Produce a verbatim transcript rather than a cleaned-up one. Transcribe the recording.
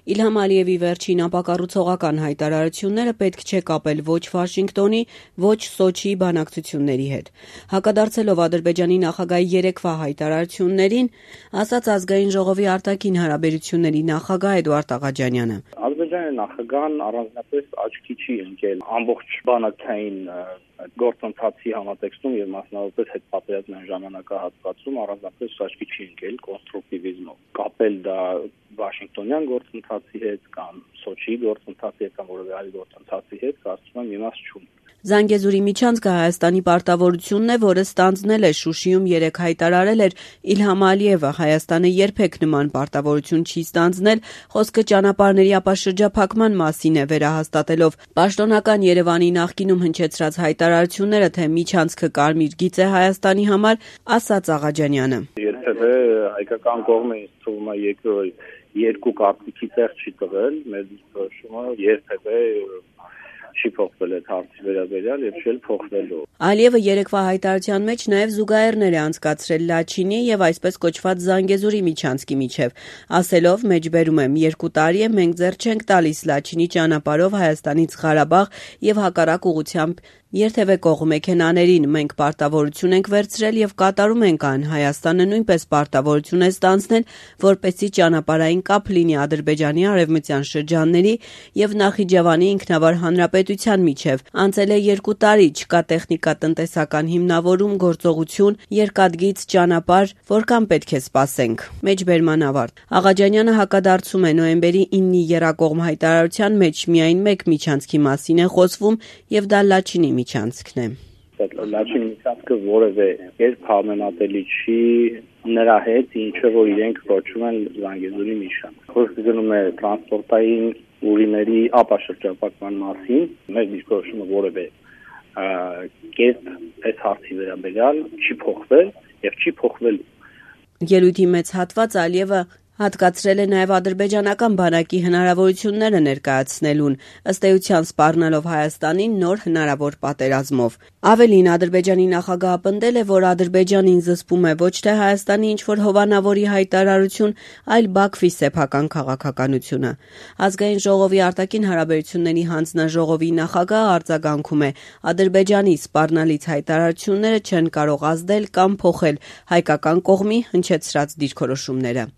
Իլհամ Ալիևի վերջին ապակառուցողական հայտարարությունները պետք չէ կապել ոչ Վաշինգտոնի, ոչ Սոչիի բանակցությունների հետ։ Հակադարձելով Ադրբեջանի նախագահի երեկվա հայտարարություններին, ասաց Ազգային ժողովի արտաքին հարաբերությունների նախագահ Էդուարդ Աղաջանյանը։ Ադրբեջանի նախագահն առանձնապես աչքի չի ընկել ամբողջ բանակցային գործընթացի համատեքստում եւ մասնավորապես հետպատերազմյան ժամանակահատվածում առանձնապես աչքի չի ընկել կոնստրուկտիվիզմով։ Կապել դա Վաշինգտոնյան գործընթացի հետ կամ Սոչիի գործընթացի հետ կամ որևէ այլ գործընթացի հետ, կարծում եմ իմաստ չունի։ Զանգեզուրի միջանցքը Հայաստանի պարտավորությունն է, որը ստանձնել է Շուշիում երեկ հայտարարել էր Իլհամ Ալիևը։ Հայաստանը երբեք նման պարտավորություն չի ստանձնել, խոսքը ճանապարհների ապաշրջափակման մասին է, վերահաստատելով պաշտոնական Երևանի նախկինում հնչեցրած հայտարարությունները, թե միջանցքը կարմիր գիծ է Հայաստանի համար, ասաց Աղաջանյանը։ Երբևէ հայկական կողմը ինձ թվում է երկու կարծիքի տեղ չի տվել, մեր դիրքորոշումը երբևէ չի փոխվել այդ հարցի վերաբերյալ եւ չէլ փոխվելու։ Ալիևը երեկվա հայտարարության մեջ նաեւ զուգահեռներ է անցկացրել Լաչինի եւ այսպես կոչված Զանգեզուրի միջանցքի միջև, ասելով՝ մեջբերում եմ, երկու տարի է մենք ձեռ չենք տալիս Լաչինի ճանապարհով Հայաստանից Ղարաբաղ եւ հակառակ ուղղությամբ երթևէ կողմ մեքենաներին, մենք պարտավորություն ենք վերցրել եւ կատարում ենք այն, Հայաստանը նույնպես պարտավորություն է ստանձնել, որպեսզի ճանապարհային կապ լինի Ադրբեջանի արևմտյան շրջանների եւ Նախիջևանի ինքնավար հանրապետության միջև։ Անցել է երկու տարի, չկա տեխնիկա-տնտեսական հիմնավորում, գործողություն, երկաթգիծ ճանապարհ, որքան պետք է սպասենք։ Մեջբերման ավարտ։ Աղաջանյանը հակադարձում է նոյեմբերի իննի եռակողմ հայտարարության մեջ միայն մեկ միջանցքի մասին է խոսվում եւ դա Լաչինի միջանցքն է։ Լաչինի միջանցքը որևէ երբ համեմատելի չի նրա հետ, ինչը որ իրենք կոչում են Զանգեզուրի միջանցք։ Խոսքը գնում է տրանսպորտային ուղիների ապաշրջափակման մասին, մեր դիրքորոշումը որևէ կերպ այս հարցի վերաբերյալ չի փոխվել եւ չի փոխվելու։ Ելույթի մեծ հատված Ալիևը հատկացրել է նաև ադրբեջանական բանակի հնարավորությունները ներկայացնելուն, ըստ էության սպառնալով Հայաստանին նոր հնարավոր պատերազմով։ Ավելին, Ադրբեջանի նախագահը պնդել է, որ Ադրբեջանին զսպում է ոչ թե Հայաստանի ինչ-որ հովանավորի հայտարարություն, այլ Բաքվի սեփական քաղաքականությունը։ Ազգային ժողովի արտաքին հարաբերությունների հանձնաժողովի նախագահը արձագանքում է. Ադրբեջանի սպառնալից հայտարարությունները չեն կարող ազդել կամ փոխել հայկական կողմի հնչեցրած դիրքորոշումները։